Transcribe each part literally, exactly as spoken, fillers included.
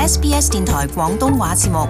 S B S 電台廣東話節目。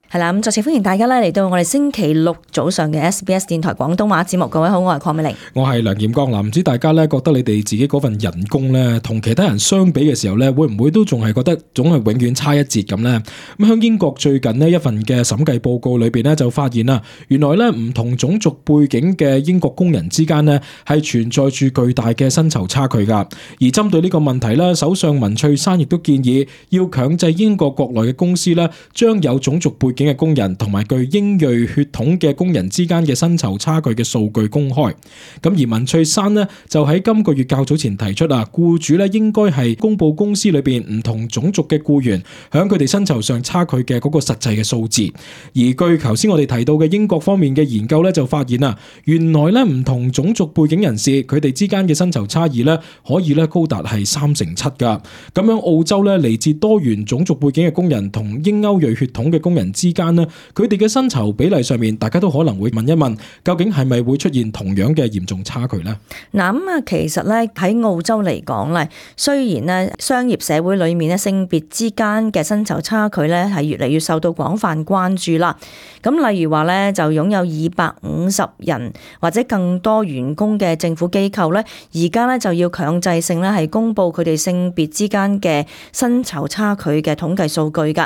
係啦，咁再次歡迎大家咧嚟到我哋星期六早上嘅 S B S 電台廣東話節目。各位好，我係鄺美玲，我係梁劍剛。嗱，唔知大家咧覺得你哋自己嗰份人工咧，同其他人相比嘅時候咧，會唔會都仲係覺得總係永遠差一截咁咧？咁喺英國最近呢一份嘅審計報告裏邊咧，就發現啦，原來咧唔同種族背景嘅英國工人之間呢係存在住巨大嘅薪酬差距噶。而針對呢個問題咧，首相文翠珊亦都建議要強制英國國內嘅公司咧，將有種族背景嘅工人同埋具英裔血統嘅工人之間嘅薪酬差距嘅數據公開。咁而文翠珊呢，就喺今個月較早前提出啊，僱主咧應該係公布公司裏邊唔同種族嘅僱員響佢哋薪酬上差距嘅嗰個實際嘅數字。而據頭先我哋提到嘅英國方面嘅研究咧，就發現啊，原來咧唔同種族背景人士佢哋之間嘅薪酬差異咧，可以咧高達係三成七噶。咁樣澳洲咧嚟自多元種族背景嘅工人同英歐裔血統嘅工人之間呢，佢哋嘅薪酬比例上面，大家都可能會問一問，究竟係咪會出現同樣嘅嚴重差距呢？嗱，咁啊，其實咧喺澳洲嚟講咧，雖然咧商業社會裏面咧性別之間嘅薪酬差距咧係越嚟越受到廣泛關注啦。咁例如話咧，就擁有二百五十人或者更多員工嘅政府機構咧，而家咧就要強制性咧係公布佢哋性別之間嘅薪酬差距嘅統計數據噶。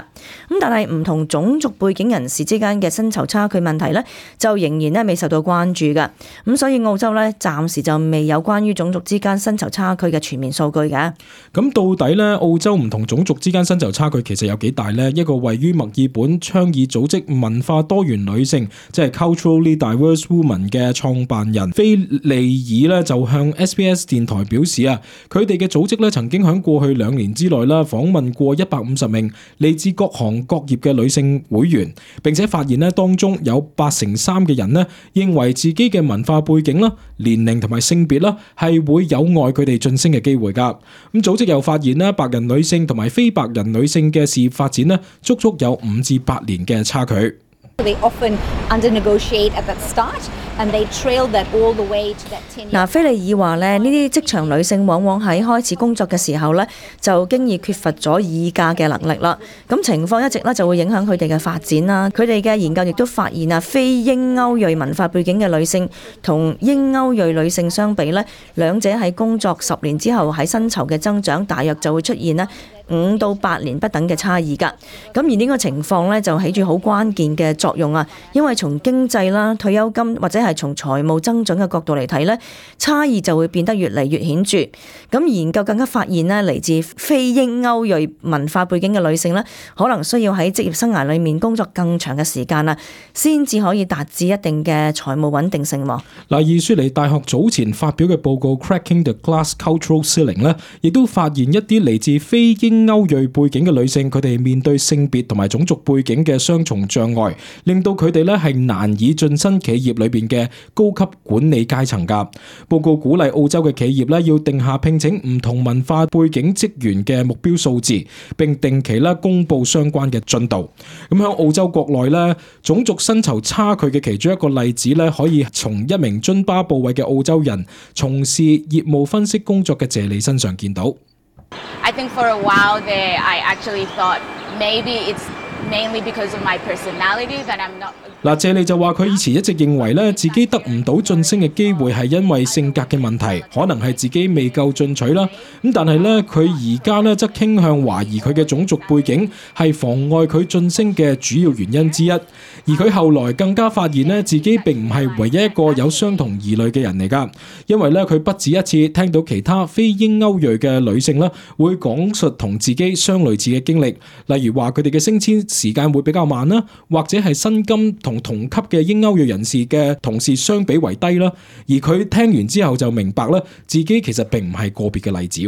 咁但係唔同種族背景人士之間嘅薪酬差距問題咧，就仍然咧未受到關注噶。咁所以澳洲咧暫時就未有關於種族之間薪酬差距嘅全面數據嘅。咁到底咧澳洲唔同種族之間薪酬差距其實有幾大呢？一個位於墨爾本倡議組織文化多元女性，即係 Culturally Diverse Women 嘅創辦人菲利爾咧，就向 S B S 電台表示啊，佢哋嘅組織咧曾經喺過去兩年之內啦訪問過一百五十名嚟自各行各業嘅女性會員，並且發現咧當中有八成三嘅人咧認為自己嘅文化背景啦、年齡同埋性別啦係會有礙佢哋晉升嘅機會噶。咁組織又發現咧白人女性同埋非白人女性嘅事業發展咧足足有五至八年嘅差距。They often under-negotiate at that start, and they trail that all the way to that ten year. 嗱，菲利爾話咧，呢啲職場女性往往喺開始工作嘅時候咧，就經已缺乏咗議價嘅能力啦。咁情況一直咧就會影響佢哋嘅發展啦。佢哋嘅研究亦都發現啊，非英歐裔文化背景嘅女性同英歐裔女性相比咧，兩者喺工作十年之後喺薪酬嘅增長，大約就會出現咧五到八年不等嘅差異㗎。咁而呢個情況咧就起住好關鍵嘅作用啊，因為從經濟啦、退休金或者係從財務增長嘅角度嚟睇咧，差異就會變得越嚟越顯著。咁研究更加發現咧，嚟自非英歐裔文化背景嘅女性咧，可能需要喺職業生涯裏面工作更長嘅時間啦，先至可以達至一定嘅財務穩定性。嗱，而雪梨大學早前發表嘅報告 Cracking the Glass Cultural Ceiling 咧，亦都發現一啲嚟自非英歐裔背景嘅女性，佢哋面對性別同埋種族背景嘅雙重障礙，令到佢哋咧係難以晉身企業裏邊嘅高級管理階層噶。報告鼓勵澳洲嘅企業咧要定下聘請唔同文化背景職員嘅目標數字，並定期咧公布相關嘅進度。咁喺澳洲國內咧，種族薪酬差距嘅其中一個例子咧，可以從一名津巴布韋嘅澳洲人從事業務分析工作嘅謝利身上見到。I think for a while there, I actually thought maybe it's mainly because of my personality that I'm not. 嗱，謝利就話佢以前一直認為咧，自己得唔到晉升嘅機會係因為性格嘅問題，可能係自己未夠進取啦。咁但係咧，佢而家咧則傾向懷疑佢嘅種族背景係妨礙佢晉升嘅主要原因之一。而佢後來更加發現咧，自己並唔係唯一一個有相同疑慮嘅人嚟㗎，因為咧佢不止一次聽到其他非英歐裔嘅女性咧會講述同自己相類似嘅經歷，例如話佢哋嘅升遷時間會比較慢啦，或者係薪金同同級嘅英歐裔人士嘅同事相比為低啦。而佢聽完之後就明白啦，自己其實並唔係個別嘅例子。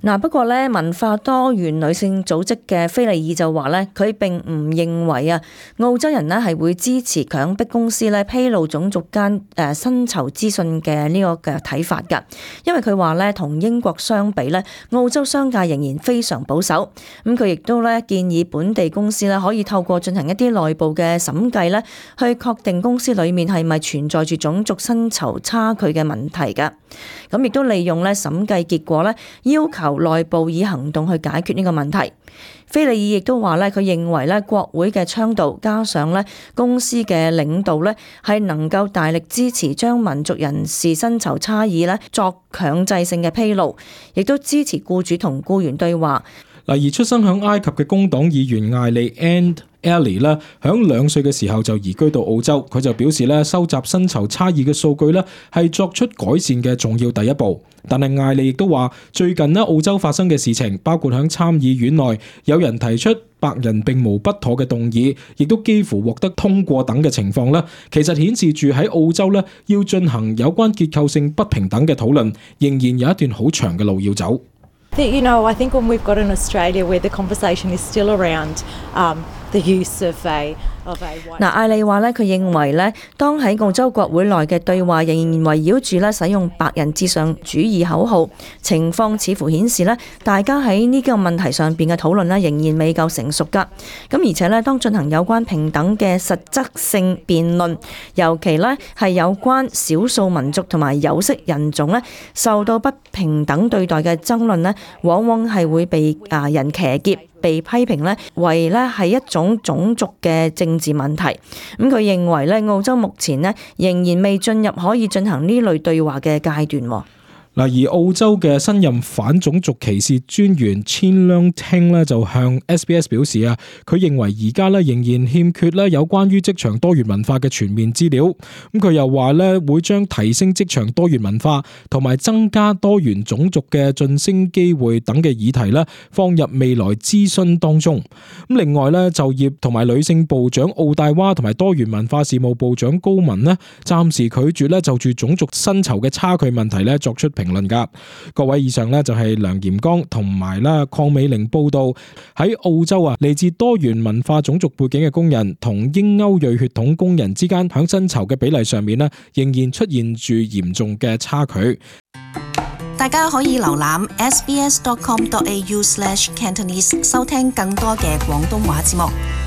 嗱，不過咧，文化多元女性組織嘅菲利爾就話咧，佢並唔認為啊，澳洲人咧係會支持強迫公司咧披露種族間誒薪酬資訊嘅呢個嘅睇法㗎，因為佢話咧，同英國相比咧，澳洲商界仍然非常保守。咁佢亦都咧建議本地公司咧可以透過進行一啲內部嘅審計咧，去確定公司裡面係咪存在住種族薪酬差距嘅問題㗎。咁亦都利用咧審計結果咧，要求內部以行動去解決呢個問題。菲利爾亦都話咧，佢認為咧國會嘅倡導加上咧公司嘅領導咧，係能夠大力支持將民族人士薪酬差異咧作強制性嘅披露，亦都支持僱主同僱員對話。嗱，而出生響埃及嘅工黨議員艾利 and Ellie 咧，響兩歲嘅時候就移居到澳洲。佢就表示咧，收集薪酬差異嘅數據咧，係作出改善嘅重要第一步。但係艾利亦都話，最近咧澳洲發生嘅事情，包括響參議院內有人提出白人並無不妥嘅動議，亦都幾乎獲得通過等嘅情況咧，其實顯示住喺澳洲咧要進行有關結構性不平等嘅討論，仍然有一段好長嘅路要走。You know, I think when we've got in Australia where the conversation is still around um, the use of a of a white... 嗱，艾利話咧，佢認為咧，當喺澳洲國會內嘅對話仍然圍繞住咧使用白人至上主義口號，情況似乎顯示咧，大家喺呢個問題上邊嘅討論咧仍然未夠成熟㗎。咁而且咧，當進行有關平等嘅實質性辯論，尤其咧係有關少數民族同埋有色人種咧受到不平等對待嘅爭論咧，往往係會被啊人騎劫，被批評咧為咧係一種種族嘅政治問題。咁佢認為咧，澳洲目前咧仍然未進入可以進行呢類對話嘅階段。嗱，而澳洲嘅新任反種族歧視專員 Chin Leung Ting 咧就向 S B S 表示啊，佢認為而家咧仍然欠缺咧有關於職場多元文化嘅全面資料。咁佢又話咧會將提升職場多元文化同埋增加多元種族嘅晉升機會等嘅議題咧放入未來諮詢當中。咁另外咧，就業同埋女性部長奧大娃同埋多元文化事務部長高文咧暫時拒絕咧就住種族薪酬嘅差距問題咧作出評論噶。各位，以上咧就係梁炎剛同埋啦鄺美玲報道喺澳洲啊，嚟自多元文化種族背景嘅工人同英歐裔血統工人之間響薪酬嘅比例上面咧，仍然出現住嚴重嘅差距。大家可以瀏覽 s b s dot com dot a u slash cantonese 收聽更多嘅廣東話節目。